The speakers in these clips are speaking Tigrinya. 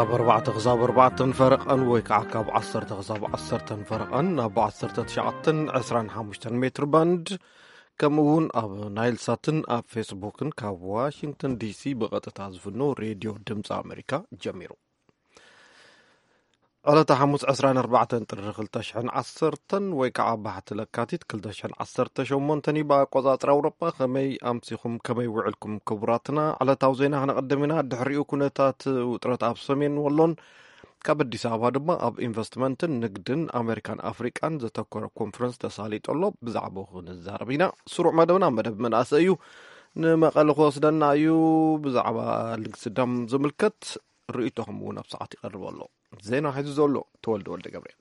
ካብ ኣርባዕተ ክሳብ ኣርባዕተን ፈረቐን ወይ ከዓ ካብ ዓሰርተ ክሳብ ዓሰርተን ፈረቐን ኣብ ዓሰርተ ትሽዓተን ዕስራን ሓሙሽተን ሜትር ባንድ፣ ከምኡ እውን ኣብ ናይል ሳትን ኣብ ፌስቡክን ካብ ዋሽንግተን ዲሲ ብቐጥታ ዝፍኖ ሬድዮ ድምፂ ኣሜሪካ ጀሚሩ። ዕለተ ሓሙስ ዕስራን ኣርባዕተን ጥሪ ክልተ ሽሕን ዓሰርተን ወይ ከዓ ባሕቲ ለካቲት ክልተ ሽሕን ዓሰርተ ሸሞንተን እዩ ብኣቆፃፅራ ኣውሮጳ። ከመይ ኣምሲኹም፣ ከመይ ውዕልኩም ክቡራትና? ዕለታዊ ዜና ክነቐድም ኢና። ድሕሪኡ ኩነታት ውጥረት ኣብ ሰሜን ወሎን ካብ ኣዲስ ኣበባ ድማ ኣብ ኢንቨስትመንትን ንግድን ኣሜሪካን ኣፍሪቃን ዘተኮረ ኮንፈረንስ ተሳሊጡ ኣሎ። ብዛዕባኡ ክንዛረብ ኢና። ስሩዕ መደብና መደብ መናእሰይ እዩ። ንመቐለ ክወስደና እዩ። ብዛዕባ ልግሲ ደም ዝምልከት ርእይቶኹም እውን ኣብ ሰዓት ይቐርብ ኣሎ። ዜና ሒዙ ዘሎ ተወልደ ወልደ ገብርኤል።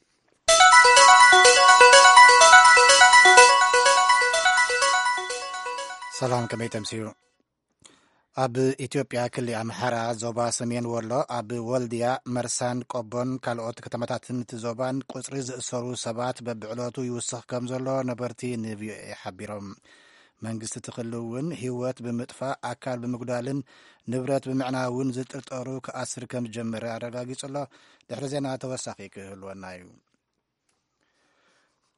ሰላም፣ ከመይ ተምስዩ? ኣብ ኢትዮጵያ ክሊ ኣምሓራ ዞባ ሰሜን ወሎ ኣብ ወልድያ፣ መርሳን ቆቦን ካልኦት ከተማታትን እቲ ዞባን ቁጽሪ ዝእሰሩ ሰባት በብዕለቱ ይውስኽ ከም ዘሎ ነበርቲ ንቪኦኤ ሓቢሮም። መንግስቲ እቲ ክሊ እውን ህይወት ብምጥፋእ፣ ኣካል ብምጉዳልን ንብረት ብምዕናውን ዝጥርጠሩ ክኣስር ከም ዝጀመረ ኣረጋጊጹ ኣሎ። ድሕሪ ዜና ተወሳኺ ክህልወና እዩ።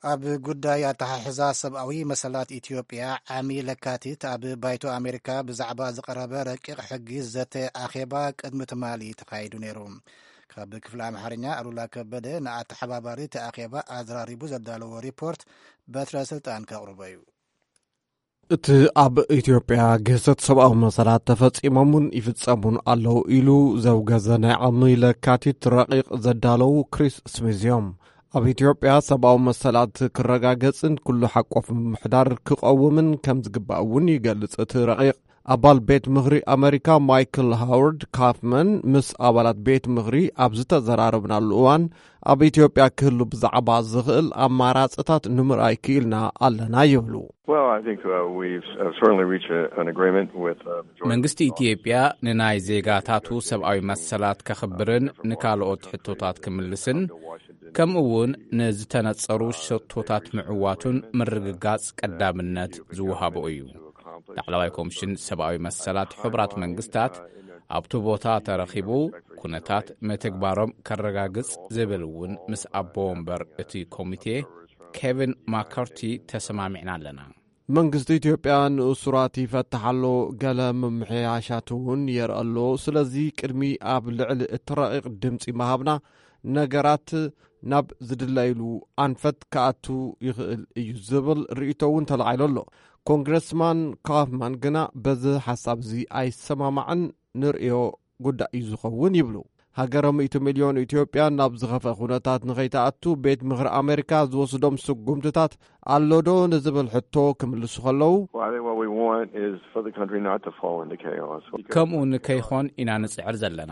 ኣብ ጉዳይ ኣተሓሕዛ ሰብኣዊ መሰላት ኢትዮጵያ ዓሚ ለካቲት ኣብ ባይቶ ኣሜሪካ ብዛዕባ ዝቐረበ ረቂቕ ሕጊ ዘተ ኣኼባ ቅድሚ ትማሊ ተኻይዱ ነይሩ። ካብ ክፍሊ ኣምሓርኛ ኣሉላ ከበደ ንኣተሓባባሪ እቲ ኣኼባ ኣዘራሪቡ ዘዳለዎ ሪፖርት በትረ ስልጣን ከቕርቦ እዩ። እቲ ኣብ ኢትዮጵያ ግህሰት ሰብኣዊ መሰላት ተፈጺሞምን ይፍጸሙን ኣለዉ ኢሉ ዘውገዘ ናይ ዓሚ ለካቲት ረቂቕ ዘዳለዉ ክሪስ ስሚዝ እዮም። ኣብ ኢትዮጵያ ሰብኣዊ መሰላት ክረጋገጽን ኩሉ ሓቆፍ ምምሕዳር ክቐውምን ከም ዝግባእ እውን ይገልጽ እቲ ረቂቕ። ኣባል ቤት ምኽሪ ኣመሪካ ማይክል ሃዋርድ ካፍመን ምስ ኣባላት ቤት ምኽሪ ኣብ ዝተዘራረብናሉ እዋን፣ ኣብ ኢትዮጵያ ክህሉ ብዛዕባ ዝኽእል ኣማራጽታት ንምርኣይ ክኢልና ኣለና ይብሉ። Well, I think uh, we've uh, certainly reached a, an agreement with uh, majority መንግስቲ ኢትዮጵያ ንናይ ዜጋታቱ ሰብኣዊ መሰላት ከኽብርን ንካልኦት ሕቶታት ክምልስን ከምኡ እውን ንዝተነጸሩ ሸቶታት ምዕዋቱን ምርግጋጽ ቀዳምነት ዝወሃቦ እዩ። ላዕለዋይ ኮሚሽን ሰብኣዊ መሰላት ሕቡራት መንግስታት ኣብቲ ቦታ ተረኺቡ ኩነታት ምትግባሮም ከረጋግጽ ዝብል እውን ምስ ኣቦ ወንበር እቲ ኮሚቴ ኬቪን ማካርቲ ተሰማሚዕና ኣለና። መንግስቲ ኢትዮጵያ ንእሱራት ይፈትሕ ኣሎ፣ ገለ ምምሕያሻት እውን የርኢ ኣሎ። ስለዚ ቅድሚ ኣብ ልዕሊ እቲ ረቂቕ ድምፂ ምሃብና ነገራት ናብ ዝድለይሉ ኣንፈት ክኣቱ ይኽእል እዩ ዝብል ርእይቶ እውን ተላዒሉ ኣሎ። ኮንግረስማን ካፍማን ግና በዚ ሓሳብ እዚ ኣይሰማማዕን፣ ንርእዮ ጉዳይ እዩ ዝኸውን ይብሉ። ሃገረ ሚእቲ ሚልዮን ኢትዮጵያ ናብ ዝኸፍአ ኩነታት ንኸይትኣቱ ቤት ምኽሪ ኣሜሪካ ዝወስዶም ስጉምትታት ኣሎ ዶ ንዝብል ሕቶ ክምልሱ ከለዉ፣ Well, I think what we want is for the country not to fall into chaos. ከምኡ ንከይኾን ኢና ንጽዕር ዘለና።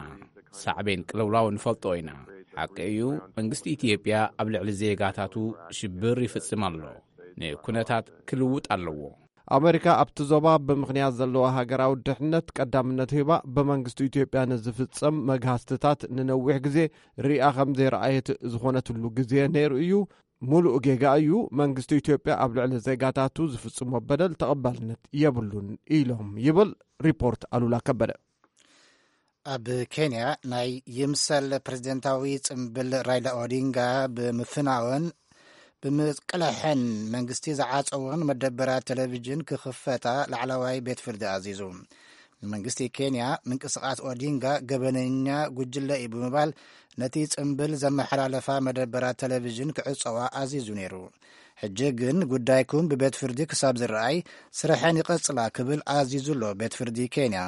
ሳዕቤን ቅልውላው ንፈልጦ ኢና። ሓቂ እዩ፣ መንግስቲ ኢትዮጵያ ኣብ ልዕሊ ዜጋታቱ ሽብር ይፍጽም ኣሎ። ንኩነታት ክልውጥ ኣለዎ። ኣመሪካ ኣብቲ ዞባ ብምኽንያት ዘለዋ ሃገራዊ ድሕነት ቀዳምነት ሂባ ብመንግስቲ ኢትዮጵያ ንዝፍጸም መግሃስትታት ንነዊሕ ግዜ ሪኣ ከም ዘይረኣየት ዝኾነትሉ ግዜ ነይሩ እዩ። ሙሉእ ጌጋ እዩ። መንግስቲ ኢትዮጵያ ኣብ ልዕሊ ዜጋታቱ ዝፍጽሞ በደል ተቐባልነት የብሉን ኢሎም ይብል ሪፖርት ኣሉላ ከበደ። ኣብ ኬንያ ናይ ይምሰል ፕሬዝደንታዊ ጽምብል ራይላ ኦዲንጋ ብምፍናወን ብምቅላሕን መንግስቲ ዝዓጸወን መደበራት ቴሌቪዥን ክኽፈታ ላዕለዋይ ቤት ፍርዲ ኣዚዙ። ንመንግስቲ ኬንያ ምንቅስቃስ ኦዲንጋ ገበነኛ ጉጅለ እዩ ብምባል ነቲ ጽምብል ዘመሓላለፋ መደበራት ቴሌቪዥን ክዕጸዋ ኣዚዙ ነይሩ። ሕጂ ግን ጉዳይኩም ብቤት ፍርዲ ክሳብ ዝረኣይ ስርሐን ይቐጽላ ክብል ኣዚዙ ኣሎ ቤት ፍርዲ ኬንያ።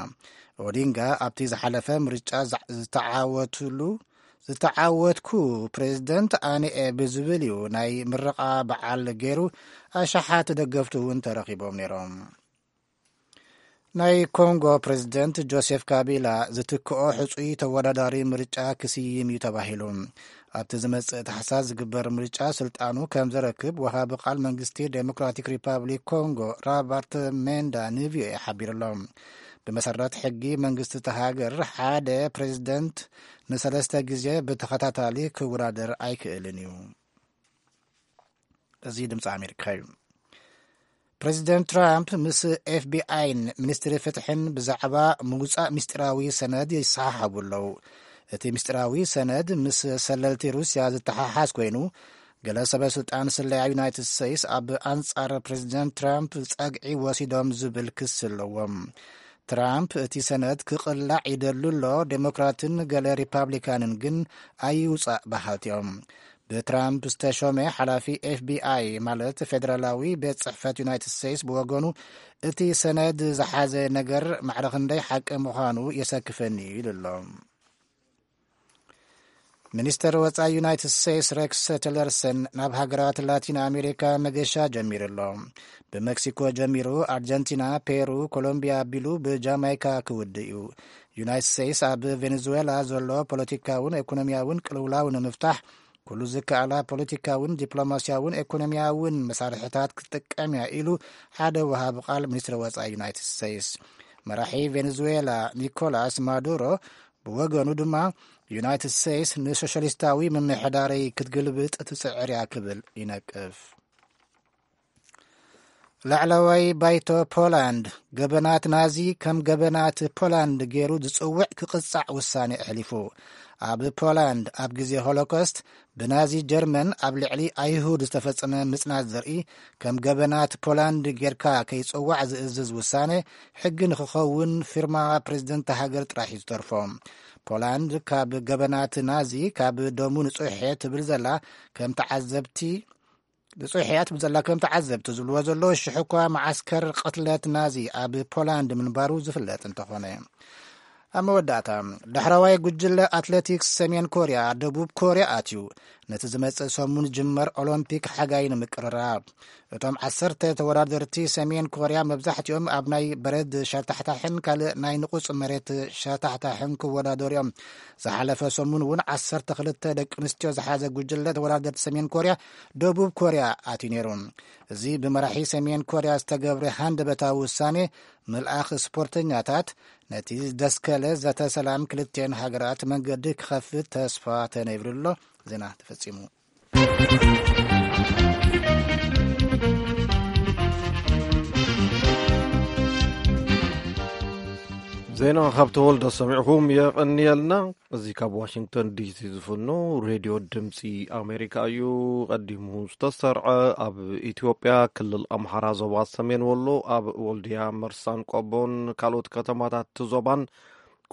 ኦዲንጋ ኣብቲ ዝሓለፈ ምርጫ ዛ- ዝተዓወትሉ ዝተዓወትኩ ፕሬዝደንት ኣነ እየ ብዝብል እዩ ናይ ምረቓ በዓል ገይሩ። ኣሽሓት ደገፍቱ እውን ተረኺቦም ነይሮም። ናይ ኮንጎ ፕሬዝደንት ጆሴፍ ካቢላ ዝትክኦ ሕጹይ ተወዳዳሪ ምርጫ ክስይም እዩ ተባሂሉ። ኣብቲ ዝመጽእ ታሕሳስ ዝግበር ምርጫ ስልጣኑ ከም ዘረክብ ወሃቢ ቃል መንግስቲ ዴሞክራቲክ ሪፓብሊክ ኮንጎ ራበርት ሜንዳ ንቪኦኤ ሓቢሩ ኣሎ። ብመሰረት ሕጊ መንግስቲ እቲ ሃገር ሓደ ፕሬዝደንት ንሰለስተ ግዜ ብተኸታታሊ ክወዳደር ኣይክእልን እዩ። እዚ ድምፂ ኣሜሪካ እዩ። ፕሬዚደንት ትራምፕ ምስ ኤፍቢኣይን ሚኒስትሪ ፍትሕን ብዛዕባ ምውፃእ ምስጢራዊ ሰነድ ይሰሓሓቡ ኣለዉ። እቲ ምስጢራዊ ሰነድ ምስ ሰለልቲ ሩስያ ዝተሓሓዝ ኮይኑ፣ ገለ ሰበ ስልጣን ስለያ ዩናይትድ ስቴትስ ኣብ ኣንጻር ፕሬዚደንት ትራምፕ ጸግዒ ወሲዶም ዝብል ክሲ ኣለዎም። ትራምፕ እቲ ሰነድ ክቕላዕ ይደሉ ኣሎ፣ ዴሞክራትን ገለ ሪፓብሊካንን ግን ኣይውጻእ በሃልቲ እዮም። ብትራምፕ ዝተሾመ ሓላፊ ኤፍቢኣይ፣ ማለት ፌደራላዊ ቤት ጽሕፈት ዩናይትድ ስቴትስ፣ ብወገኑ እቲ ሰነድ ዝሓዘ ነገር ማዕረ ክንደይ ሓቂ ምዃኑ የሰክፈኒ እዩ ኢሉ ኣሎ። ሚኒስተር ወጻኢ ዩናይትድ ስቴትስ ሬክስ ቲለርሰን ናብ ሃገራት ላቲን ኣሜሪካ መገሻ ጀሚሩ ኣሎ። ብመክሲኮ ጀሚሩ ኣርጀንቲና፣ ፔሩ፣ ኮሎምቢያ ኣቢሉ ብጃማይካ ክውድእ እዩ። ዩናይትድ ስቴትስ ኣብ ቬኔዙዌላ ዘሎ ፖለቲካውን ኢኮኖሚያውን ቅልውላው ንምፍታሕ ኩሉ ዝከኣላ ፖለቲካውን ዲፕሎማሲያውን ኢኮኖሚያውን መሳርሕታት ክትጥቀም እያ ኢሉ ሓደ ወሃቢ ቃል ሚኒስትሪ ወጻኢ ዩናይትድ ስቴትስ። መራሒ ቬኔዙዌላ ኒኮላስ ማዱሮ ብወገኑ ድማ ዩናይትድ ስቴትስ ንሶሻሊስታዊ ምምሕዳረይ ክትግልብጥ ትጽዕር እያ ክብል ይነቅፍ። ላዕለዋይ ባይቶ ፖላንድ ገበናት ናዚ ከም ገበናት ፖላንድ ገይሩ ዝጽውዕ ክቕጻዕ ውሳኔ ኣሕሊፉ። ኣብ ፖላንድ ኣብ ግዜ ሆሎኮስት ብናዚ ጀርመን ኣብ ልዕሊ ኣይሁድ ዝተፈጸመ ምጽናት ዘርኢ ከም ገበናት ፖላንድ ጌርካ ከይጽዋዕ ዝእዝዝ ውሳኔ ሕጊ ንክኸውን ፊርማ ፕሬዝደንት ሃገር ጥራሕ እዩ ዝተርፎ። ፖላንድ ካብ ገበናት ናዚ ካብ ደሙ ንጹሕ እየ ትብል ዘላ ከም ተዓዘብቲ ንጹሕ እያ ትብል ዘላ ከም ተዓዘብቲ ዝብልዎ ዘለዉ ሽሕ እኳ መዓስከር ቅትለት ናዚ ኣብ ፖላንድ ምንባሩ ዝፍለጥ እንተኾነ። ኣብ መወዳእታ፣ ዳሕረዋይ ጉጅለ ኣትሌቲክስ ሰሜን ኮርያ ደቡብ ኮርያ ኣትዩ ነቲ ዝመጽእ ሰሙን ዝጅመር ኦሎምፒክ ሓጋይ ንምቅርራብ። እቶም ዓሰርተ ተወዳደርቲ ሰሜን ኮርያ መብዛሕትኦም ኣብ ናይ በረድ ሸታሕታሕን ካልእ ናይ ንቑጽ መሬት ሸታሕታሕን ክወዳደሩ እዮም። ዝሓለፈ ሰሙን እውን ዓሰርተ ክልተ ደቂ ኣንስትዮ ዝሓዘ ጉጅለ ተወዳደርቲ ሰሜን ኮርያ ደቡብ ኮርያ ኣትዩ ነይሩ። እዚ ብመራሒ ሰሜን ኮርያ ዝተገብረ ሃንደበታዊ ውሳኔ ምልኣኽ ስፖርተኛታት ነቲ ዝደስከለ ዘተ ሰላም ክልቲኤን ሃገራት መንገዲ ክኸፍት ተስፋ ተነይብሉ ኣሎ። ዜና ተፈጺሙ። ዜና ካብ ተወልደ ሰሚዕኹም የቐንየልና። እዚ ካብ ዋሽንግተን ዲሲ ዝፍኖ ሬድዮ ድምፂ ኣሜሪካ እዩ። ቀዲሙ ዝተሰርዐ ኣብ ኢትዮጵያ ክልል ኣምሓራ ዞባ ሰሜን ወሎ ኣብ ወልድያ፣ መርሳን ቆቦን ካልኦት ከተማታት እቲ ዞባን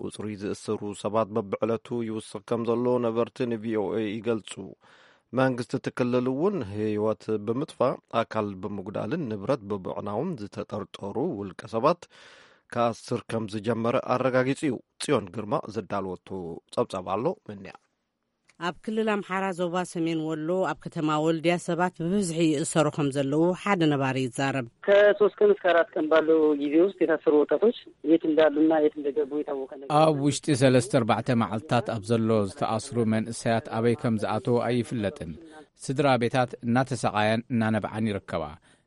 ቁፅሪ ዝእሰሩ ሰባት በብዕለቱ ይውስኽ ከም ዘሎ ነበርቲ ንቪኦኤ ይገልፁ። መንግስቲ እቲ ክልል እውን ህይወት ብምጥፋእ፣ ኣካል ብምጉዳልን ንብረት ብምዕናውን ዝተጠርጠሩ ውልቀ ሰባት ክኣስር ከም ዝጀመረ ኣረጋጊጹ እዩ። ጽዮን ግርማ ዘዳለወቶ ጸብጻብ ኣሎ፣ ምንያ። ኣብ ክልል ኣምሓራ ዞባ ሰሜን ወሎ ኣብ ከተማ ወልድያ ሰባት ብብዝሒ ይእሰሩ ከም ዘለዉ ሓደ ነባሪ ይዛረብ። ከሶስት ቀን እስከ አራት ቀን ባለው ጊዜ ውስጥ የታሰሩ ወጣቶች የት እንዳሉና የት እንደገቡ የታወቀ ነገር ኣብ የለም። ውሽጢ ሰለስተ ኣርባዕተ መዓልታት ኣብ ዘሎ ዝተኣስሩ መንእሰያት ኣበይ ከም ዝኣተዉ ኣይፍለጥን። ስድራ ቤታት እናተሰቓያን እናነብዓን ይርከባ።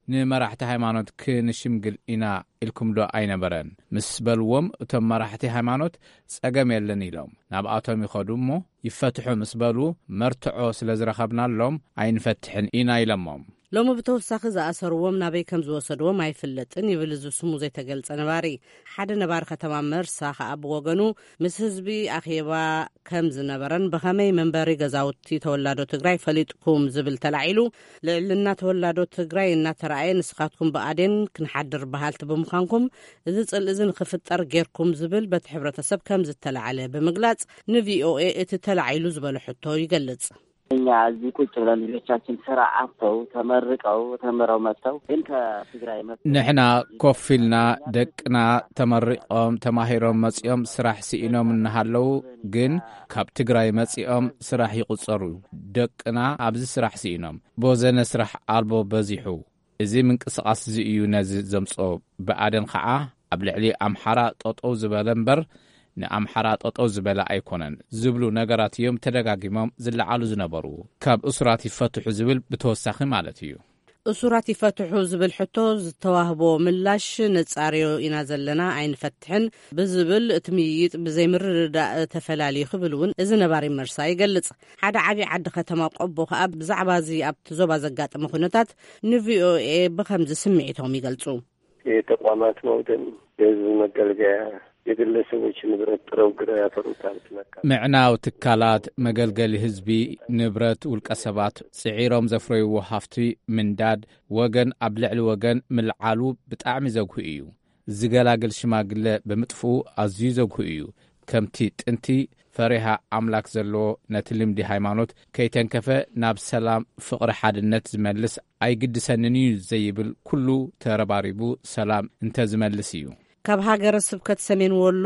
ንመራሕቲ ሃይማኖት ክንሽምግል ኢና ኢልኩምዶ ኣይነበረን? ምስ በልዎም፣ እቶም መራሕቲ ሃይማኖት ጸገም የለን ኢሎም። ናብኣቶም ይኸዱ እሞ ይፈትሑ ምስ በሉ፣ መርትዖ ስለ ዝረኸብናሎም ኣይንፈትሕን ኢና ኢለሞም። ሎሚ ብተወሳኺ ዝኣሰርዎም ናበይ ከም ዝወሰድዎም ኣይፍለጥን ይብል እዚ ስሙ ዘይተገልጸ ነባሪ። ሓደ ነባሪ ከተማ መርሳ ከኣ ብወገኑ ምስ ህዝቢ ኣኼባ ከም ዝነበረን ብኸመይ መንበሪ ገዛውቲ ተወላዶ ትግራይ ፈሊጥኩም ዝብል ተላዒሉ፣ ልዕልና ተወላዶ ትግራይ እናተራእየ ንስኻትኩም ብኣዴን ክንሓድር በሃልቲ ብምዃንኩም እዚ ጽልኢ እዚ ንኽፍጠር ጌርኩም ዝብል በቲ ሕብረተሰብ ከም ዝተላዕለ ብምግላጽ ንቪኦኤ እቲ ተላዒሉ ዝበሎ ሕቶ ይገልጽ። እኛ እዚህ ቁጭ ብለን ልጆቻችን ስራ አጥተው ተመርቀው ተምረው መጥተው ግን ከትግራይ መጥተው ንሕና ኮፍ ኢልና ደቅና ተመሪቖም ተማሂሮም መጺኦም ስራሕ ስኢኖም እናሃለዉ ግን ካብ ትግራይ መጺኦም ስራሕ ይቑጸሩ። ደቅና ኣብዚ ስራሕ ስኢኖም ቦዘነ ስራሕ ኣልቦ በዚሑ። እዚ ምንቅስቓስ እዚ እዩ ነዚ ዘምጾ። ብኣደን ኸዓ ኣብ ልዕሊ ኣምሓራ ጠጠው ዝበለ እምበር ንኣምሓራ ጠጠው ዝበለ ኣይኮነን ዝብሉ ነገራት እዮም ተደጋጊሞም ዝለዓሉ ዝነበሩ። ካብ እሱራት ይፈትሑ ዝብል ብተወሳኺ ማለት እዩ። እሱራት ይፈትሑ ዝብል ሕቶ ዝተዋህቦ ምላሽ ነጻርዮ ኢና ዘለና ኣይንፈትሕን ብዝብል እቲ ምይይጥ ብዘይምርድዳእ ተፈላልዩ ክብል እውን እዚ ነባሪ መርሳ ይገልጽ። ሓደ ዓብዪ ዓዲ ከተማ ቆቦ ከኣ ብዛዕባ እዚ ኣብቲ ዞባ ዘጋጠመ ኩነታት ንቪኦኤ ብኸምዚ ስምዒቶም ይገልጹ። የተቋማት መውደም፣ የህዝብ መገልገያ የግለሰቦች ንብረት ጥረው ግረው ያፈሩት ሀብት መካከል ምዕናው ትካላት፣ መገልገሊ ህዝቢ፣ ንብረት ውልቀ ሰባት፣ ጽዒሮም ዘፍረይዎ ሃፍቲ ምንዳድ፣ ወገን ኣብ ልዕሊ ወገን ምልዓሉ ብጣዕሚ ዘጉሂ እዩ። ዝገላግል ሽማግለ ብምጥፍኡ ኣዝዩ ዘጉሂ እዩ። ከምቲ ጥንቲ ፈሪሃ ኣምላክ ዘለዎ፣ ነቲ ልምዲ ሃይማኖት ከይተንከፈ ናብ ሰላም፣ ፍቕሪ፣ ሓድነት ዝመልስ ኣይግድሰንን እዩ ዘይብል ኩሉ ተረባሪቡ ሰላም እንተዝመልስ እዩ። ካብ ሃገረ ስብከት ሰሜን ወሎ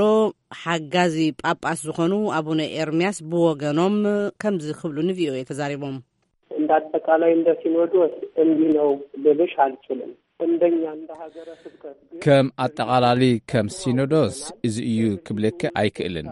ሓጋዚ ጳጳስ ዝኾኑ ኣቡነ ኤርምያስ ብወገኖም ከምዚ ክብሉ ንቪኦኤ ተዛሪቦም። እንደ አጠቃላይ እንደ ሲኖዶስ እንዲህ ነው ልልሽ አልችልም። እንደኛ እንደ ሀገረ ስብከት ግን ከም ኣጠቓላሊ ከም ሲኖዶስ እዚ እዩ ክብለኪ ኣይክእልን።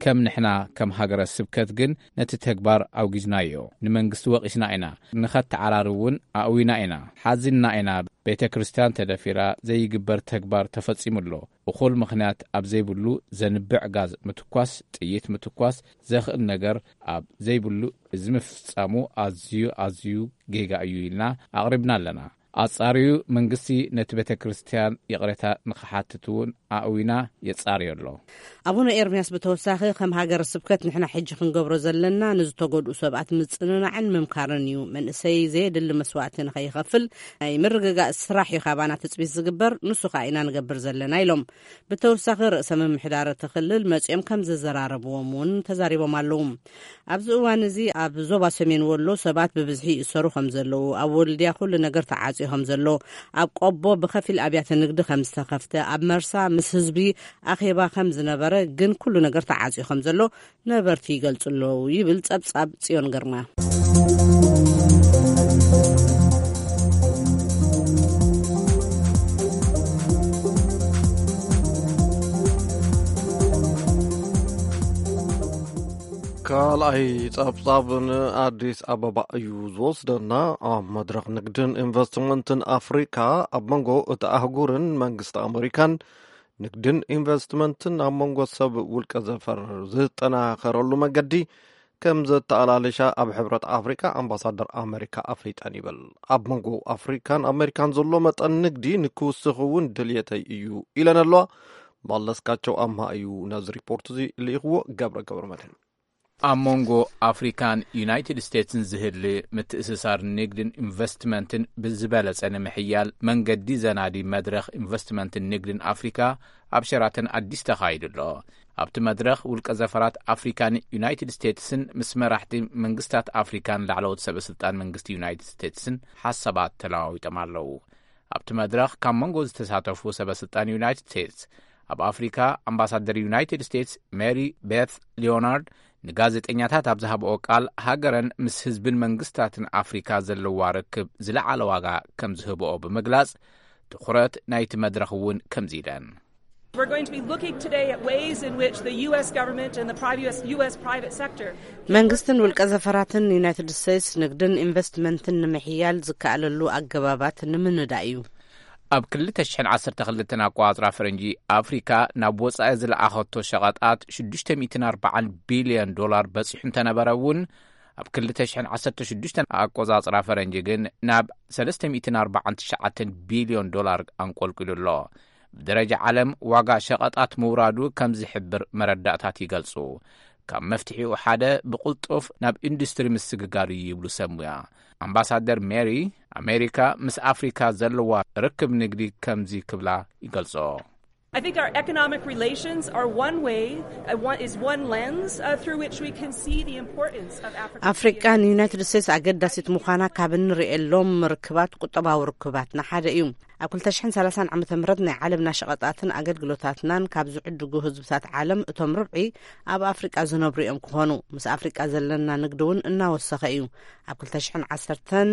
ከም ንሕና ከም ሃገረ ስብከት ግን ነቲ ተግባር ኣውጊዝናዮ። ንመንግስቲ ወቒስና ኢና። ንኸተዓራሪ እውን ኣእዊና ኢና። ሓዚንና ኢና። ቤተ ክርስቲያን ተደፊራ፣ ዘይግበር ተግባር ተፈጺሙ ኣሎ። እኹል ምኽንያት ኣብ ዘይብሉ ዘንብዕ ጋዝ ምትኳስ፣ ጥይት ምትኳስ ዘኽእል ነገር ኣብ ዘይብሉ እዚ ምፍጻሙ ኣዝዩ ኣዝዩ ጌጋ እዩ ኢልና ኣቕሪብና ኣለና። ኣጻርዩ መንግስቲ ነቲ ቤተ ክርስቲያን ይቕሬታ ንኽሓትት እውን ኣእዊና የጻርዮ ኣሎ። ኣቡነ ኤርምያስ ብተወሳኺ ከም ሃገረ ስብከት ንሕና ሕጂ ክንገብሮ ዘለና ንዝተጎድኡ ሰባት ምጽንናዕን ምምካርን እዩ። መንእሰይ ዘየድሊ መስዋእቲ ንኸይኸፍል ናይ ምርግጋእ ስራሕ እዩ ካባና ትጽቢት ዝግበር፣ ንሱ ኸኣ ኢና ንገብር ዘለና ኢሎም። ብተወሳኺ ርእሰ ምምሕዳር እቲ ክልል መጺኦም ከም ዘዘራረብዎም እውን ተዛሪቦም ኣለዉ። ኣብዚ እዋን እዚ ኣብ ዞባ ሰሜን ወሎ ሰባት ብብዝሒ ይእሰሩ ከም ዘለዉ፣ ኣብ ወልድያ ኩሉ ነገር ተዓጽዩ ከም ዘሎ፣ ኣብ ቆቦ ብኸፊል ኣብያተ ንግዲ ከም ዝተኸፍተ፣ ኣብ መርሳ ምስ ህዝቢ ኣኼባ ከም ዝነበረ ግን ኩሉ ነገር ተዓጽዩ ከም ዘሎ ነበርቲ ይገልጹ ኣለዉ ይብል ጸብጻብ ጽዮን ግርማ። ካልኣይ ጸብጻብ ንኣዲስ ኣበባ እዩ ዝወስደና። ኣብ መድረኽ ንግድን ኢንቨስትመንትን ኣፍሪካ ኣብ መንጎ እቲ ኣህጉርን መንግስቲ ኣመሪካን ንግድን ኢንቨስትመንትን ኣብ መንጎ ሰብ ውልቀ ዘፈር ዝጠናኸረሉ መገዲ ከም ዘተኣላለሻ ኣብ ሕብረት ኣፍሪካ ኣምባሳደር ኣመሪካ ኣፍሊጠን ይብል። ኣብ መንጎ ኣፍሪካን ኣመሪካን ዘሎ መጠን ንግዲ ንክውስኽ እውን ድልየተይ እዩ ኢለን ኣለዋ። መለስካቸው ኣምሃ እዩ ነዚ ሪፖርት እዚ ልኢኽዎ። ገብረ ገብረ መድህን ኣብ መንጎ ኣፍሪካን ዩናይትድ ስቴትስን ዝህሊ ምትእስሳር ንግድን ኢንቨስትመንትን ብዝበለጸ ንምሕያል መንገዲ ዘናዲ መድረኽ ኢንቨስትመንትን ንግድን ኣፍሪካ ኣብ ሸራተን ኣዲስ ተኻይዱ ኣሎ። ኣብቲ መድረኽ ውልቀ ዘፈራት ኣፍሪካን ዩናይትድ ስቴትስን ምስ መራሕቲ መንግስታት ኣፍሪካን ላዕለዎት ሰበ ስልጣን መንግስቲ ዩናይትድ ስቴትስን ሓሳባት ተለዋዊጦም ኣለዉ። ኣብቲ መድረኽ ካብ መንጎ ዝተሳተፉ ሰበ ስልጣን ዩናይትድ ስቴትስ ኣብ ኣፍሪካ ኣምባሳደር ዩናይትድ ስቴትስ ሜሪ ቤት ሊዮናርድ ንጋዜጠኛታት ኣብ ዝሃብኦ ቃል፣ ሃገረን ምስ ህዝብን መንግስታትን ኣፍሪካ ዘለዋ ርክብ ዝለዓለ ዋጋ ከም ዝህብኦ ብምግላጽ፣ ትኹረት ናይቲ መድረኽ እውን ከምዚ ኢለን። We're going to be looking today at ways in which the U S government and the private, U S private sector መንግስትን ውልቀ ዘፈራትን ዩናይትድ ስቴትስ ንግድን ኢንቨስትመንትን ንምሕያል ዝከኣለሉ ኣገባባት ንምንዳእ እዩ። ኣብ ክልተ ሽሕን ዓሰርተ ክልተን ኣቆጻጽራ ፈረንጂ ኣፍሪካ ናብ ወጻኢ ዝለኣኸቶ ሸቐጣት ሽዱሽተ ሚእትን ኣርባዓን ቢልዮን ዶላር በጺሑ እንተነበረ እውን፣ ኣብ ክልተ ሽሕን ዓሰርተ ሽዱሽተን ኣቆጻጽራ ፈረንጂ ግን ናብ ሰለስተ ሚእትን ኣርባዓን ትሽዓተን ቢልዮን ዶላር ኣንቆልቂሉ ኣሎ። ብደረጃ ዓለም ዋጋ ሸቐጣት ምውራዱ ከም ዝሕብር መረዳእታት ይገልጹ። ካብ መፍትሒኡ ሓደ ብቕልጡፍ ናብ ኢንዱስትሪ ምስግጋር እዩ ይብሉ ሰብ ሙያ። ኣምባሳደር ሜሪ፣ ኣሜሪካ ምስ ኣፍሪካ ዘለዋ ርክብ ንግዲ ከምዚ ክብላ ይገልጾ። I think our economic relations are one way, uh, one, is one lens uh, through which we can see the importance of Africa. ኣፍሪቃ ንዩናይትድ ስቴትስ ኣገዳሲት ምዃና ካብ እንርእየሎም ርክባት፣ ቁጠባዊ ርክባትና ሓደ እዩ። ኣብ ክልተ ሽሕን ሰላሳን ዓመተ ምህረት ናይ ዓለምና ሸቐጣትን ኣገልግሎታትናን ካብ ዝዕድጉ ህዝብታት ዓለም እቶም ርብዒ ኣብ ኣፍሪቃ ዝነብሩ እዮም ክኾኑ። ምስ ኣፍሪቃ ዘለና ንግዲ እውን እናወሰኸ እዩ። ኣብ ክልተ ሽሕን ዓሰርተን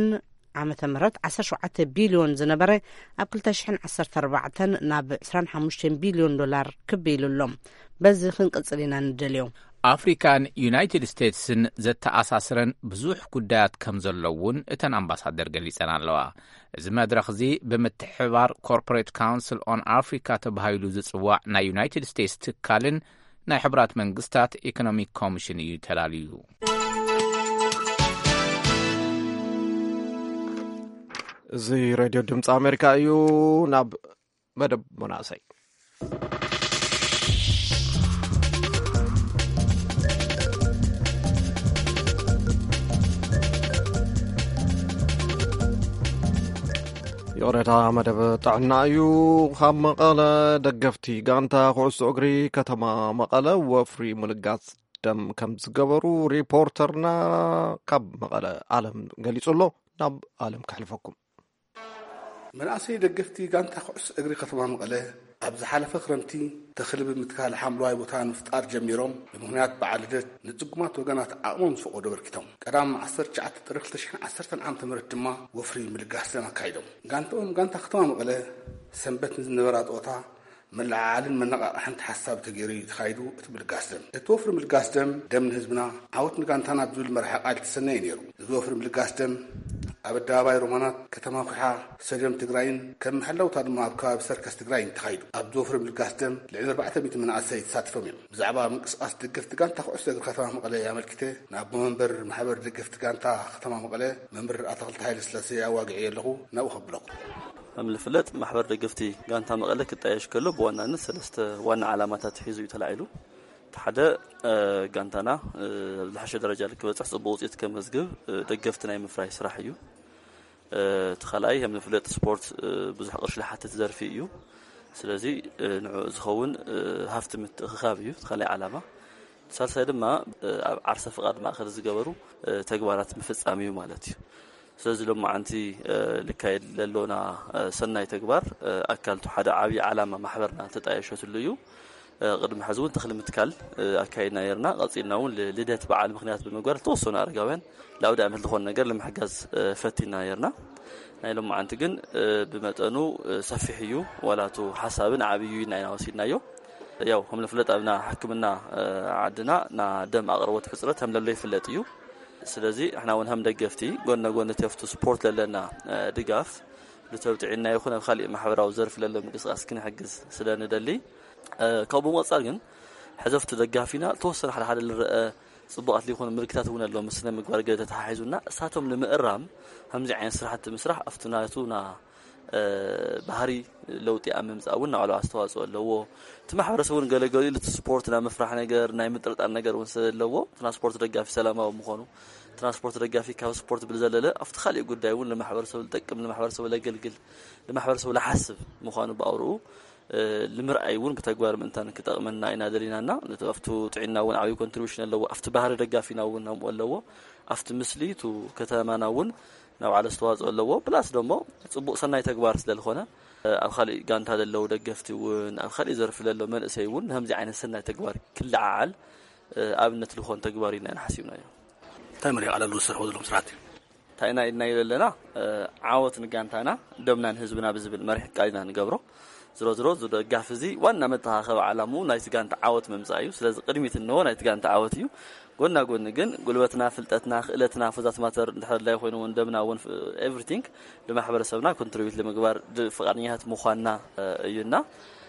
ዓመተ ምህረት ዓሰርተ ሸውዓተ ቢልዮን ዝነበረ ኣብ ክልተ ሽሕን ዓሰርተ ኣርባዕተን ናብ ዕስራን ሓሙሽተን ቢልዮን ዶላር ክብ ኢሉ ኣሎ። በዚ ክንቅጽል ኢና ንደልዮ። ኣፍሪካን ዩናይትድ ስቴትስን ዘተኣሳስረን ብዙሕ ጉዳያት ከም ዘሎ እውን እተን ኣምባሳደር ገሊጸን ኣለዋ። እዚ መድረኽ እዚ ብምትሕብባር ኮርፖሬት ካውንስል ኦን ኣፍሪካ ተባሂሉ ዝጽዋዕ ናይ ዩናይትድ ስቴትስ ትካልን ናይ ሕቡራት መንግስታት ኢኮኖሚክ ኮሚሽን እዩ ተላልዩ። እዚ ሬድዮ ድምፂ ኣሜሪካ እዩ። ናብ መደብ መናእሰይ። ይቕሬታ፣ መደብ ጥዕና እዩ። ካብ መቐለ፣ ደገፍቲ ጋንታ ኩዕሶ እግሪ ከተማ መቐለ ወፍሪ ምልጋስ ደም ከም ዝገበሩ ሪፖርተርና ካብ መቐለ ኣለም ገሊጹ ኣሎ። ናብ ኣለም ከሕልፈኩም። መናእሰይ ደገፍቲ ጋንታ ኩዕሶ እግሪ ከተማ መቐለ ኣብ ዝሓለፈ ክረምቲ ተኽሊ ብምትካል ሓምለዋይ ቦታ ንምፍጣር ጀሚሮም፣ ብምኽንያት በዓል ልደት ንጽጉማት ወገናት ዓቕሞም ዝፈቐዶ ኣበርኪቶም። ቀዳም ዓሰርተ ትሽዓተ ጥሪ ክልተ ሽሕን ዓሰርተን ዓመተ ምህረት ድማ ወፍሪ ምልጋስ ደም ኣካይዶም። ጋንታኦም፣ ጋንታ ከተማ መቐለ፣ ሰንበት ንዝነበራ ጸወታ መለዓዓልን መነቓቕሕን ተሓሳቢ ተገይሩ እዩ ተኻይዱ እቲ ምልጋስ ደም። እቲ ወፍሪ ምልጋስ ደም፣ ደም ንህዝብና፣ ዓወት ንጋንታና ብዝብል መርሓ ቃል ዝተሰነየ ነይሩ። እዚ ወፍሪ ምልጋስ ደም ኣብ ኣደባባይ ሮማናት፣ ከተማ ኩሓ፣ ስታድዮም ትግራይን ከም መሐለውታ ድማ ኣብ ከባቢ ሰርከስ ትግራይን ተኻይዱ። ኣብዚ ወፍሪ ምልጋስ ደም ልዕሊ ኣርባዕተ ሚእቲ መናእሰይ ተሳቲፎም እዮም። ብዛዕባ ምንቅስቃስ ደገፍቲ ጋንታ ኩዕሶ እግሪ ከተማ መቐለ ኣመልኪተ ንኣቦ መንበር ማሕበር ደገፍቲ ጋንታ ከተማ መቐለ መምህር ኣታኽልቲ ሃይለ ስላሴ ኣዋግዐ ኣለኹ። ናብኡ ከብለኩም። ከም ዝፍለጥ፣ ማሕበር ደገፍቲ ጋንታ መቐለ ክጣየሽ ከሎ ብዋናነት ሰለስተ ዋና ዓላማታት ሒዙ እዩ ተላዒሉ። እቲ ሓደ፣ እ፣ ጋንታና፣ እ፣ ኣብ ዝሓሸ ደረጃ ክበፅሕ፣ ፅቡቅ ውፅኢት ከመዝግብ፣ እ፣ ደገፍቲ ናይ ምፍራይ ስራሕ እዩ። እ፣ እቲ ካልኣይ፣ ከም ዝፍለጥ፣ ስፖርት፣ እ፣ ብዙሕ ቅርሺ ዝሓትት ዘርፊ እዩ። ስለዚ፣ እ፣ ንዕኡ ዝኸውን፣ እ፣ ሃፍቲ ምትእኽኻብ እዩ እቲ ካልኣይ ዓላማ። ሳልሳይ ድማ፣ እ፣ ኣብ ዓርሰ ፍቓድ ማእከል ዝገበሩ፣ እ፣ ተግባራት ምፍጻም እዩ ማለት እዩ። ስለዚ ሎማዓንቲ፣ እ፣ ልካየድ ለሎና፣ እ፣ ሰናይ ተግባር፣ እ፣ ኣካል እቲ ሓደ ዓብዪ ዓላማ ማሕበርና ተጣየሸትሉ እዩ። እ፣ ቅድሚ ሕዚ እውን ተኽሊ ምትካል፣ እ፣ ኣካይድና ነርና። ቀጺልና እውን ል-፣ ልደት በዓል ምኽንያት ብምግባር ዝተወሰኑ ኣረጋውያን ለኣውደ ዓመት ዝኾነ ነገር ንምሕጋዝ፣ እ፣ ፈቲና ነርና። ናይ ሎማዓንቲ ግን፣ እ፣ ብመጠኑ፣ እ፣ ሰፊሕ እዩ። ዋላ እቱ ሓሳብን ዓብዪ እዩ ኢልና ኢና ወሲድናዮ። ያው ከም ንፍለጥ ኣብና ሕክምና፣ እ፣ ዓድና ና ደም ኣቕርቦት ሕፅረት ከም ለሎ ይፍለጥ እዩ። ስለዚ ንሕና እውን ከም ደገፍቲ ጎን ንጎን እቲ ኣብቲ ስፖርት ለለና፣ እ፣ ድጋፍ ልተብጥዒና ይኹን ኣብ ካሊእ ማሕበራዊ ዘርፊ ለሎ ምንቅስቃስ ክንሕግዝ ስለ ንደሊ፣ እ፣ ካብኡ ብምቕፃል ግን ሕዚ ኣብቲ ደጋፊና ዝተወሰነ ሓደ ሓደ ልረአ ፅቡቃት ሊኾኑ ምልክታት እውን ኣለዎም። ስነ ምግባር ገለ ተተሓሒዙና እሳቶም ንምእራም ከምዚ ዓይነት ስራሕቲ ምስራሕ ኣብቲ ናቱ ና እ፣ ባህሪ ለውጢ ኣብ ምምጻእ እውን ናባዕሉ ኣስተዋጽኦ ኣለዎ። እቲ ማሕበረሰብ እውን ገለ ገሊኡ እቲ ስፖርት ናይ ምፍራሕ ነገር፣ ናይ ምጥርጣር ነገር እውን ስለ ዘለዎ፣ እቲ ናይ ስፖርት ደጋፊ ሰላማዊ ምዃኑ፣ እቲ ናይ ስፖርት ደጋፊ ካብ ስፖርት ብዝዘለለ ኣብቲ ካሊእ ጉዳይ እውን ንማሕበረሰቡ ዝጠቅም፣ ንማሕበረሰቡ ለገልግል፣ ንማሕበረሰቡ ለሓስብ ምዃኑ ብኣውርኡ፣ እ፣ ንምርኣይ እውን ብተግባር ምእንታን ክጠቕመና ኢና ደሊናና። ነቲ ኣብቱ ጥዕና እውን ዓብዪ ኮንትሪቢሽን ኣለዎ። ኣብቲ ባህሪ ደጋፊና እውን ከምኡ ኣለዎ። ኣብቲ ምስሊ እቱ ከተማና እውን ናባዕሉ ኣስተዋፅኦ ኣለዎ። ፕላስ ደሞ ፅቡቅ ሰናይ ተግባር ስለ ዝኾነ፣ ኣብ ካሊእ ጋንታ ዘለዉ ደገፍቲ እውን፣ ኣብ ካሊእ ዘርፊ ዘለዉ መንእሰይ እውን ንከምዚ ዓይነት ሰናይ ተግባር ክለዓዓል ኣብነት ዝኾን ተግባር ኢና ሓሲብናዮ። እንታይ መሪሕ ቃል ኣለዎ ዝሰርሕዎ ዘለኹም ስራሕቲ? እንታይ ኢና ኢልናዮ ዘለና? ዓወት ንጋንታና፣ ደምና ንህዝብና ብዝብል መሪሕ ቃል ኢና ንገብሮ። ዝሮ ዝሮ፣ እዚ ደጋፊ እዚ ዋና መተኻኸቢ ዓላምኡ ናይቲ ጋንታ ዓወት ምምፃእ እዩ። ስለዚ ቅድሚት እንሆ ናይቲ ጋንታ ዓወት እዩ። ጎና ጎኒ ግን ጉልበትና፣ ፍልጠትና፣ ክእለትና፣ for that matter፣ እንድሕር ኣድላይ ኮይኑ እውን ደምና እውን፣ ኤቭሪቲንግ፣ ንማሕበረሰብና ኮንትሪቢዩት ንምግባር ድ-፣ ፍቓደኛታት ምዃንና፣ እ፣ እዩና።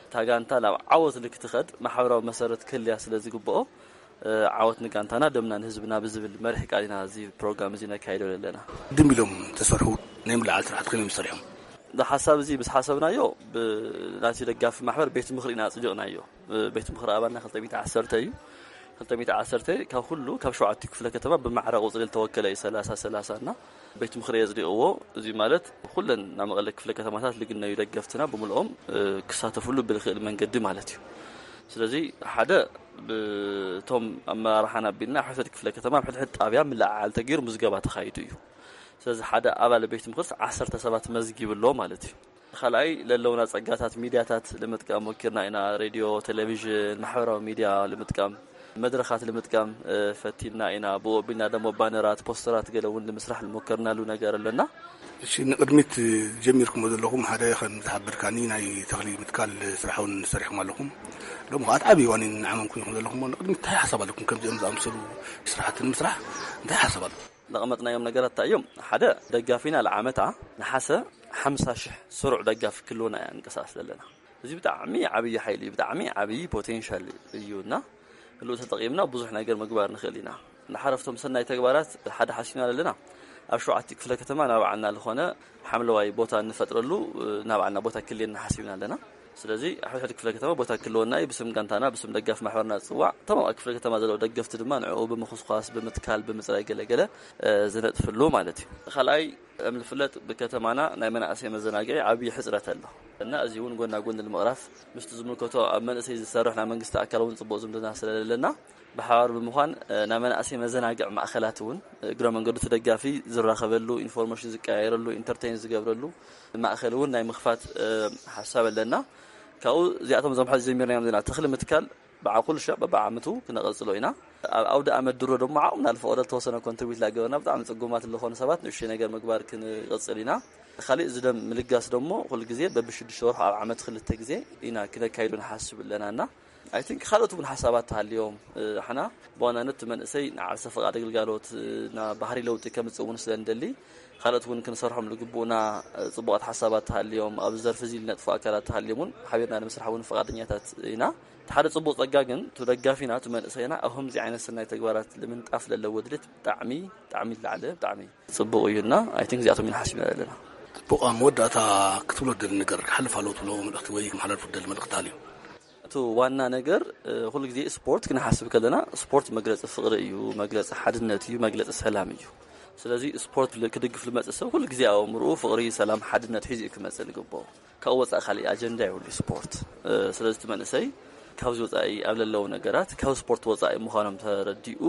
እታ ጋንታ ናብ ዓወት ንክትኸድ ማሕበራዊ መሰረት ክህልያ ስለ ዝግብኦ፣ እ፣ ዓወት ንጋንታና፣ ደምና ንህዝብና ብዝብል መሪሕ ቃል ኢና እዚ ፕሮግራም እዚ ነካይዶ ዘለና። ድም ኢሎም ተሰርሑ ናይ ምልዓል ስራሕቲ ከመይ ምስ ሰሪሖም? እዚ ሓሳብ እዚ ምስ ሓሰብናዮ፣ ብ-፣ ናቲ ደጋፊ ማሕበር ቤት ምኽሪ ኢና ኣጽዲቕናዮ። ብ-፣ ቤት ምኽሪ ኣባልና ክልተ ሚእቲ ዓሰርተ እዩ። ክልተ ሚእቲ ዓሰርተ ካብ ኩሉ፣ ካብ ሸውዓተ ክፍለ ከተማ ብማዕረ ቁጽሪ ዝተወከለ እዩ፣ ሰላሳ ሰላሳ እና ቤት ምኽሪ የጽዲቕዎ። እዚ ማለት ኩለን ናብ መቐለ ክፍለ ከተማታት ልግነዩ ደገፍትና ብምልኦም፣ እ፣ ክሳተፍሉ ብልኽእል መንገዲ ማለት እዩ። ስለዚ ሓደ ብቶም ኣመራርሓና ኣቢልና ሕድሕድ ክፍለ ከተማ ኣብ ሕድሕድ ጣብያ ምልዕዓል ተገይሩ ምዝገባ ተኻይዱ እዩ። ስለዚ ሓደ ኣባል ቤት ምኽርስ ዓሰርተ ሰባት መዝጊቡ ኣሎ ማለት እዩ። ካልኣይ ለለውና ጸጋታት ሚድያታት ንምጥቃም ሞኪርና ኢና። ሬድዮ፣ ቴሌቪዥን፣ ማሕበራዊ ሚድያ ንምጥቃም፣ መድረኻት ንምጥቃም፣ እ፣ ፈቲንና ኢና። ብኡ ኣቢልና ደሞ ባነራት፣ ፖስተራት ገለ እውን ንምስራሕ ዝሞከርናሉ ነገር ኣለና። እሺ፣ ንቕድሚት ጀሚርኩሞ ዘለኹም ሓደ ከም ዝሓበርካኒ ናይ ተኽሊ ምትካል ስራሕ እውን ሰሪሕኩም ኣለኹም። ሎሚ ከዓ እቲ ዓብዪ ዋኒን ንዓመምኩም ኢኹም ዘለኹም። ንቕድሚት እንታይ ሓሳብ ኣለኩም? ከምዚኦም ዝኣምሰሉ ስራሕቲ ንምስራሕ እንታይ ሓሳብ ኣለኩም? ዘቐመጥናዮም ነገራት እንታይ እዮም? ሓደ፣ ደጋፊና ለዓመታ ነሓሰ ሓምሳ ሽሕ ስሩዕ ደጋፊ ክህልወና ኢና ንንቀሳቐስ ዘለና። እዚ ብጣዕሚ ዓብዪ ሓይሊ እዩ፣ ብጣዕሚ ዓብዪ ፖቴንሻል እዩ እና ህልው ተጠቒምና ብዙሕ ነገር ምግባር ንኽእል ኢና። ንሓረፍቶም ሰናይ ተግባራት ሓደ ሓሲብና ኣለና። ኣብ ሸውዓተ ክፍለ ከተማ ናባዕልና ዝኾነ ሓምለዋይ ቦታ እንፈጥረሉ፣ ናባዕልና ቦታ ክልየና ሓሲብና ኣለና። ስለዚ ኣብ ሕድሕድ ክፍለ ከተማ ቦታ ክልወና እዩ። ብስም ጋንታና፣ ብስም ደጋፊ ማሕበርና ዝፅዋዕ፣ እቶም ኣብ ክፍለ ከተማ ዘለዉ ደገፍቲ ድማ ንዕኡ ብምኹስኳስ፣ ብምትካል፣ ብምፅራይ ገለገለ፣ እ፣ ዝነጥፍሉ ማለት እዩ። ካልኣይ፣ ከም ዝፍለጥ ብከተማና ናይ መናእሰይ መዘናግዒ ዓብዪ ሕፅረት ኣሎ እና እዚ እውን ጎና ጎን ንምቕራፍ ምስቲ ዝምልከቶ ኣብ መንእሰይ ዝሰርሕ ናይ መንግስቲ ኣካል እውን ፅቡቕ ዝምድና ስለዘለና ብሓባር ብምዃን ናይ መናእሰይ መዘናግዒ ማእኸላት እውን እግረ መንገዱ ተደጋፊ ዝራኸበሉ ኢንፎርሜሽን ዝቀያየረሉ ኢንተርቴን ዝገብረሉ ማእኸል እውን ናይ ምኽፋት ሓሳብ ኣለና። ካብኡ እዚኣቶም እዞም ሕዚ ጀሚርናዮም ዘለና ተኽሊ ምትካል ብዓቁል ሸዕ በብዓመቱ ክነቐጽሎ ኢና። ኣብ ኣውደ ኣመት ድሮ ደሞ ዓቕምና ዝፈቐዶ ዝተወሰነ ኮንትሪቢዩት ላገበርና ብጣዕሚ ጽጉማት ዝኾኑ ሰባት ንእሽተይ ነገር ምግባር ክንቐጽል ኢና። ካሊእ ዝደም ምልጋስ ደሞ ኩሉ ግዜ በብሽዱሽተ ወርሑ ኣብ ዓመት ክልተ ግዜ ኢና ክነካይዶ ንሓስብ ኣለና እና ኣይ ቲንክ ካልኦት እውን ሓሳባት ተሃልዮም ኣሕና ብዋናነት እቲ መንእሰይ ንዓርሰ ፍቓድ ግልጋሎት ና ባህሪ ለውጢ ከምፅእ እውን ስለ ንደሊ ካልኦት እውን ክንሰርሖም ዝግብኡና ፅቡቓት ሓሳባት ተሃልዮም ኣብዚ ዘርፊ እዚ ዝነጥፉ ኣካላት ተሃልዮም እውን ሓቢርና ንምስራሕ እውን ፍቓደኛታት ኢና። እቲ ሓደ ፅቡቕ ፀጋ ግን እቲ ደጋፊና እቲ መንእሰይና ኣብ ከምዚ ዓይነት ሰናይ ተግባራት ንምንጣፍ ለለዎ ድሌት ብጣዕሚ ብጣዕሚ ዝለዓለ ብጣዕሚ ፅቡቕ እዩ እና ኣይ ቲንክ እዚኣቶም ኢና ሓሲብና ዘለና። ጽቡቕ ኣብ መወዳእታ ክትብሎ ደሊ ነገር ክሓልፍ ኣለዎ ትብሎ መልእኽቲ ወይ ክመሓላልፉ ደሊ መልእኽቲ ኣሎ። እቲ ዋና ነገር ኩሉ ግዜ ስፖርት ክንሓስብ ከለና ስፖርት መግለፂ ፍቕሪ እዩ፣ መግለፂ ሓድነት እዩ፣ መግለፂ ሰላም እዩ። ስለዚ ስፖርት ክድግፍ ዝመፅእ ሰብ ኩሉ ግዜ ኣእምርኡ ፍቕሪ፣ ሰላም፣ ሓድነት ሒዙ እዩ ክመፅእ ዝግብኦ። ካብኡ ወፃኢ ካሊእ ኣጀንዳ የብሉ ስፖርት። ስለዚ እቲ መንእሰይ ካብዚ ወፃኢ ኣብ ለለዉ ነገራት ካብ ስፖርት ወፃኢ ምዃኖም ተረዲኡ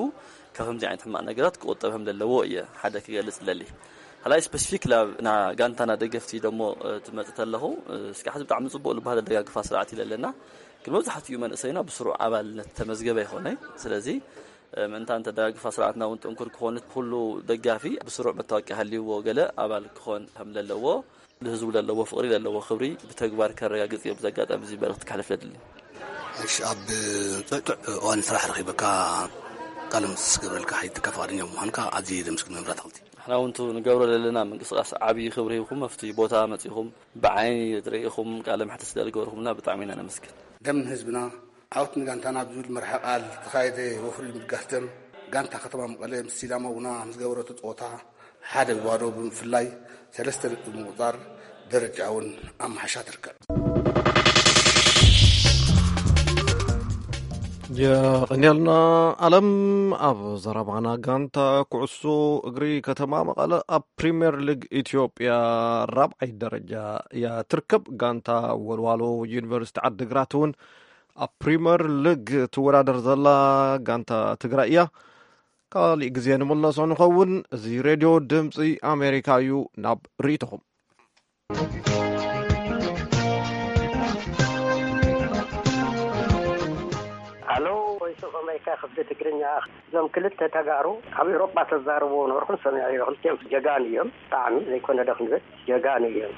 ካብ ከምዚ ዓይነት ሕማቕ ነገራት ክቁጠብ ከም ዘለዎ እየ ሓደ ክገልፅ ለሊ። ካልኣይ ስፔሲፊክ ናብ ና ጋንታና ደገፍቲ ደሞ ትመፅ ተለኹ እስካዕ ሕዚ ብጣዕሚ ፅቡቕ ዝበሃል ኣደጋግፋ ስርዓት ኢለ ኣለና። ግን መብዛሕትኡ መንእሰይና ብስሩዕ ኣባልነት ተመዝገበ ይኾነ። ስለዚ ምእንታን ተደጋግፋ ስርዓትና እውን ጥንኩር ክኾን ኩሉ ደጋፊ ብስሩዕ መታወቂያ ሃልይዎ ገለ ኣባል ክኾን ከም ዘለዎ ንህዝቡ ለለዎ ፍቕሪ ለለዎ ክብሪ ብተግባር ከረጋግፅ እዮም ብዚ ኣጋጣሚ እዚ መልእኽቲ ከሕልፍ ለድሊ። እሺ ኣብ ጥዕጥዕ እዋን ስራሕ ረኺበካ ቃለ ምልልስ ክገብረልካ ሓይትካ ፍቓደኛ ብምዃንካ ኣዝየ ደምስግን መምህር ኣትክልቲ። ንሕና እውን ንገብሮ ዘለና ምንቅስቃስ ዓብዪ ክብሪ ሂብኩም ኣብቲ ቦታ መፂኹም ብዓይኒ ርኢኹም ቃለ መሕትት ስለ ዝገበርኩምና ብጣዕሚ ኢና ነመስግን። ደም ንህዝብና ዓወት ንጋንታና ብዝብል መርሓ ቃል ዝተኻየደ ወፍሪ ምልጋስ ደም ጋንታ ከተማ መቐለ ምስ ሲዳማ ቡና ምስ ገበረቶ ፀወታ ሓደ ብባዶ ብምፍላይ ሰለስተ ነጥቢ ብምቑፃር ደረጃ እውን ኣመሓሻ ትርከብ። የቐንየልና ኣለም። ኣብ ዘረባና ጋንታ ኩዕሶ እግሪ ከተማ መቐለ ኣብ ፕሪምየር ሊግ ኢትዮጵያ ራብዓይ ደረጃ እያ ትርከብ። ጋንታ ወልዋሎ ዩኒቨርሲቲ ዓዲግራት እውን ኣብ ፕሪምየር ሊግ ትወዳደር ዘላ ጋንታ ትግራይ እያ። ካሊእ ግዜ ንምለሶ ንኸውን። እዚ ሬድዮ ድምፂ ኣሜሪካ እዩ። ናብ ርእይቶኹም። ኣሎ ቮይስ ኦፍ ኣሜሪካ ክፍሊ ትግርኛ። እዞም ክልተ ተጋሩ ኣብ ኤውሮጳ ተዛርብዎ ነበርኩን ሰሚዐዮ። ክልቲኦም ጀጋኑ እዮም። ብጣዕሚ ዘይኮነ ዶ ክንብል ጀጋኑ እዮም።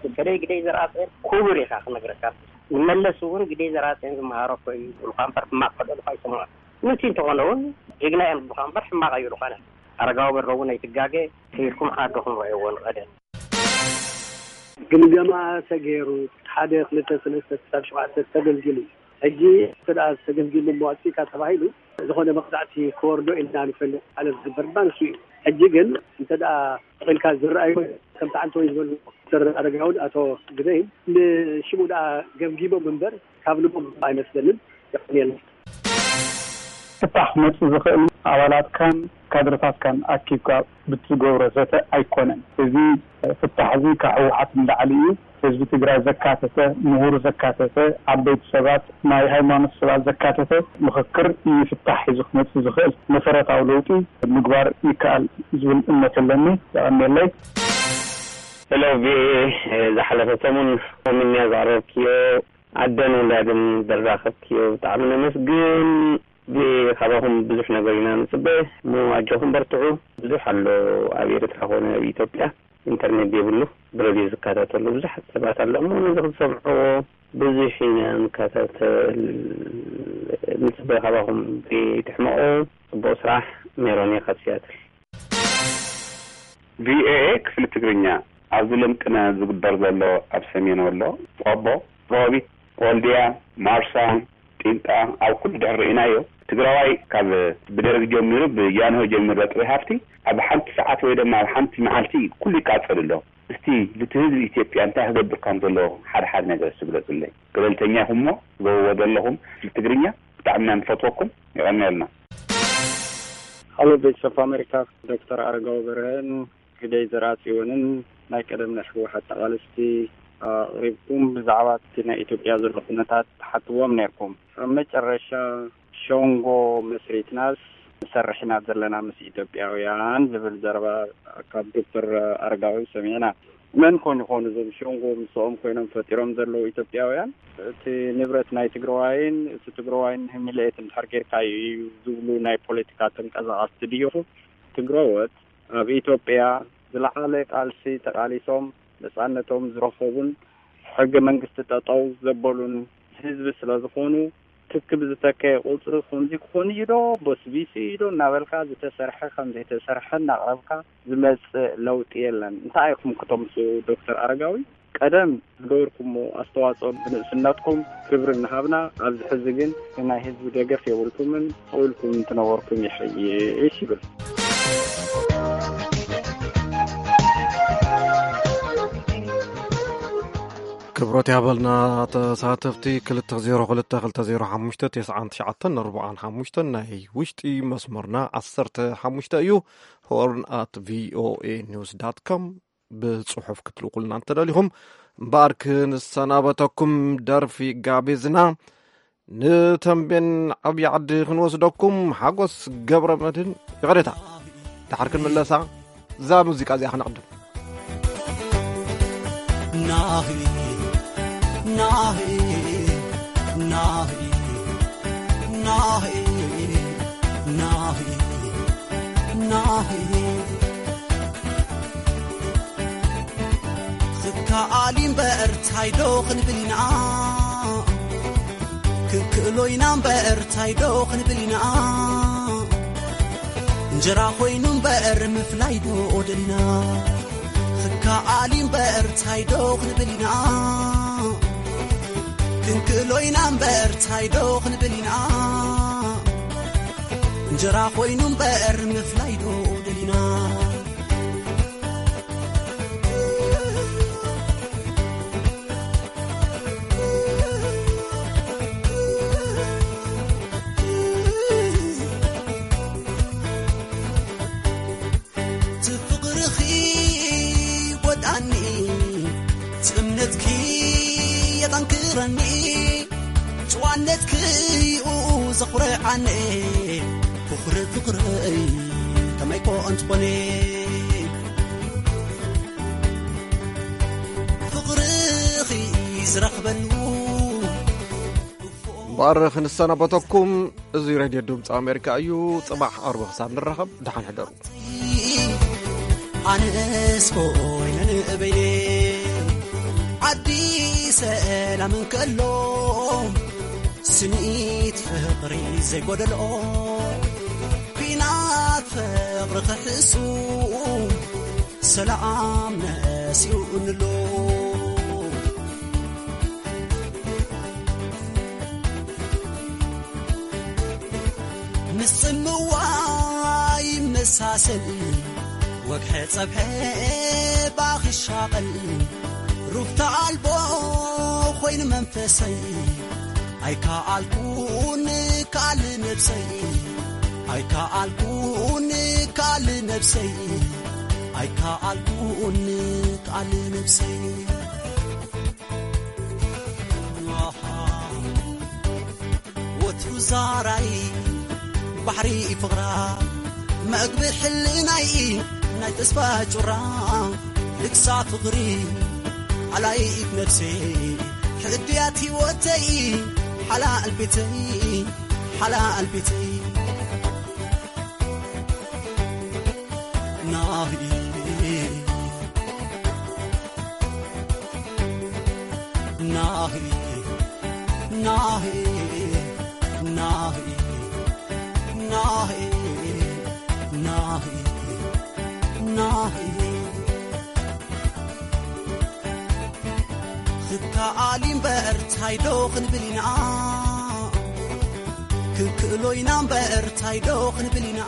በተለይ ግደይ ዘርኣጽዮን ክቡር ኢኻ ክነግረካ። ንመለስ እውን ግደይ ዘርኣጽዮን ዝመሃሮ እኮ እዩ ዝብሉኻ እምበር ሕማቕ ከደሉኻ ኣይሰምዖን። ምእንቲ እንተኾነ እውን ጅግና እዮም ዝብሉኻ እምበር ሕማቕ ኣይብሉኻን እዮም። ኣረጋዊ በርሀ እውን ኣይትጋገ ከይድኩም ዓድኹም ረእይዎ ንቐደም። ግምገማ ተገይሩ ሓደ ክልተ ሰለስተ ክሳብ ሸውዓተ ተገልጊሉ ሕጂ እንተ ደኣ ተገልጊሉ እሞ ኣጥፊእካ ተባሂሉ ዝኾነ መቕፃዕቲ ክወርዶ ኢልና ንፈልጥ ማለት ዝግበር ድማ ንሱ እዩ። ሕጂ ግን እንተ ደኣ ኢልካ ዝረኣዩ ከምቲ ዓንተወይ ዝበሉ ዶክተር ኣረጋውን ኣቶ ግደይን ንሽሙ ደኣ ገምጊሞም እምበር ካብ ልቦም ኣይመስለንን። የቐንየልና። ፍታሕ ክመፅእ ዝኽእል ኣባላትካን ካድረታትካን ኣኪብካ ብትገብሮ ዘተ ኣይኮነን። እዚ ፍታሕ እዚ ካብ ህወሓት ንላዕሊ እዩ። ህዝቢ ትግራይ ዘካተተ፣ ምሁር ዘካተተ፣ ዓበይቲ ሰባት፣ ናይ ሃይማኖት ሰባት ዘካተተ ምኽክር እዩ ፍታሕ ሒዙ ክመፅእ ዝኽእል። መሰረታዊ ለውጢ ምግባር ይከኣል ዝብል እምነት ኣለኒ። የቐንየለይ። ሄሎ ቪኦኤ፣ ዝሓለፈ ሰሙን ሆምኛ ዘቕረብክዮ ኣደን ውላድን ዘራኸብክዮ ብጣዕሚ ነመስግን። ካባኹም ብዙሕ ነገር ኢና ንፅበ እሞ ኣጆኹም በርትዑ። ብዙሕ ኣሎ ኣብ ኤርትራ ኾነ ኣብ ኢትዮጵያ ኢንተርኔት ዘይብሉ ብረድዮ ዝከታተሉ ብዙሓት ሰባት ኣሎ እሞ ነዚ ክትሰምዕዎ ብዙሕ ኢና ንከታተል ንፅበ ካባኹም። ዘይትሕመቑ። ፅቡቕ ስራሕ። ሜሮን እየ ካብ ሲያትል። ቪኦኤ ክፍሊ ትግርኛ ኣብዚ ልምቅነ ዝግበር ዘሎ ኣብ ሰሜን ወሎ፣ ቆቦ፣ ሮቢት፣ ወልድያ፣ ማርሳ፣ ቂንጣ ኣብ ኩሉ ድሕር ርኢናዮ። ትግራዋይ ካብ ብደርግ ጀሚሩ ብጃንሆ ጀሚሩ ጥሪ ሃብቲ ኣብ ሓንቲ ሰዓት ወይ ድማ ኣብ ሓንቲ መዓልቲ ኩሉ ይቃጸል ኣሎ። እስቲ ልቲ ህዝቢ ኢትዮጵያ እንታይ ክገብር ከም ዘለዎ ሓደ ሓደ ነገር እስቲ ግለጹለይ። ገለልተኛ ኢኹም እሞ ትገብርዎ ዘለኹም ክፍሊ ትግርኛ ብጣዕሚ ኢና ንፈትወኩም። የቐንየልና። Hello Voice of America፣ ዶክተር ኣረጋዊ በርሀን ግደይ ዘርኣጽዮንን ናይ ቀደም ናይ ህወሓት ተቓለስቲ ኣቕሪብኩም፣ ብዛዕባ እቲ ናይ ኢትዮጵያ ዘሎ ኩነታት ትሓትዎም ነርኩም። ኣብ መጨረሻ ሸንጎ መስሪትናስ ንሰርሕ ኢና ዘለና ምስ ኢትዮጵያውያን ዝብል ዘረባ ካብ ዶክተር ኣረጋዊ ሰሚዕና። መን ኮን ይኾኑ እዞም ሸንጎ ምስኦም ኮይኖም ፈጢሮም ዘለዉ ኢትዮጵያውያን? እቲ ንብረት ናይ ትግራዋይን እቲ ትግራዋይን ህሚለየት እንድሕር ጌርካዩ እዩ ዝብሉ ናይ ፖለቲካ ተንቀሳቐስቲ ድይኹ? ትግረዎት ኣብ ኢትዮጵያ ዝለዓለ ቃልሲ ተቓሊሶም ነጻነቶም ዝረኸቡን ሕገ መንግስቲ ጠጠው ዘበሉን ህዝቢ ስለ ዝኾኑ፣ ትክ ብዝተከየ ቁጽሪ ከምዚ ክኾን እዩ ዶ፣ በስቢሱ እዩ ዶ እናበልካ ዝተሰርሐ ከም ዘይተሰርሐ እናቕረብካ ዝመጽእ ለውጢ የለን። እንታይ ኢኹም ክተምጽኡ ዶክተር ኣረጋዊ? ቀደም ዝገበርኩሞ ኣስተዋጽኦ ብንእስነትኩም ክብሪ እናሃብና፣ ኣብዚ ሕዚ ግን ናይ ህዝቢ ደገፍ የብልኩምን፣ ስቕ ኢልኩም እንትነበርኩም ይሕይሽ ይብል። ክብረት ያበልና ተሳተፍቲ። ክልተ ዜሮ ክልተ ክልተ ዜሮ ሓሙሽተ ተስዓን ትሽዓተን ኣርባዓን ሓሙሽተን ናይ ውሽጢ መስመርና ዓሰርተ ሓሙሽተ እዩ። ሆርን ኣት ቪኦኤ ኒውስ ዳት ኮም ብጽሑፍ ክትልኩልና እንተደሊኹም። እምበኣር ክንሰናበተኩም ደርፊ ጋቢዝና ንተንቤን ዓብዪ ዓዲ ክንወስደኩም ሓጎስ ገብረ መድህን። ይቕሬታ፣ ድሓር ክንምለሳ እዛ ሙዚቃ እዚኣ ክነቕድም። ናሂ ናሂ ናሂ ናሂ ናሂ ናሂ ክከኣል እምበር ታይ ዶ ክንብል ኢና? ክንክእሎ ኢና እምበር ታይ ዶ ክንብል ኢና? እንጀራ ኮይኑ እምበር ምፍላይ ዶ ደሊና? ክከኣል እምበር ታይ ዶ ክንብል ኢና? ክንክእሎ ኢና እምበር ታይ ዶ ክንብል ኢና? እንጀራ ኮይኑ እምበር ምፍላይ ዶ ደሊና? ትፍቕርኺ ወድኣኒ፣ እምነትኪ የጠንክረኒ፣ ጭዋነትኪ እዩ ዘኹርዓኒ። ፍቕሪ ፍቕረይ ከመይ ኮ እንትኾነ፣ ፍቕርኺ ዝረኽበሉ። እምበኣር ክንሰናበተኩም፣ እዚ ሬድዮ ድምፂ ኣሜሪካ እዩ። ፅባሕ ኣርቢ ክሳብ ንራኸብ፣ ደሓን ሕደሩ። ኣነስ ኮይነ ንበይነ፣ ዓዲ ሰላም እንከሎ፣ ስኒት ፍቕሪ ዘይጎደልኦ፣ ኲናት ፍቕሪ ክሕሱ፣ ሰላም ነሲኡ እንሎ። ምስ ጽምዋ ይመሳሰል፣ ወግሐ ጸብሐ ባኺ ሻቐል፣ ሩፍታ ኣልቦ ኮይኑ መንፈሰይ፣ ኣይከኣልኩን ካል ነብሰይ፣ ኣይከኣልኩን ካል ነብሰይ፣ ኣይከኣልኩን ካል ነብሰይ። ወትሩ ዛራይ ባሕሪ ፍቕራ፣ መግቢ ሕልናይ ናይ ተስፋ ጩራ፣ ልግሳ ፍቕሪ ኣላይት ነፍሰይ፣ ሕድያት ህይወተይ፣ ሓላል ቤተይ፣ ሓላል ቤተይ። ናሂ ናሂ ናሂ ናሂ ናሂ ናሂ ናሂ። ክከኣል እምበር ታይ ዶ ክንብል ኢና፣ ክንክእሎ ኢና እምበር ታይ ዶ ክንብል ኢና።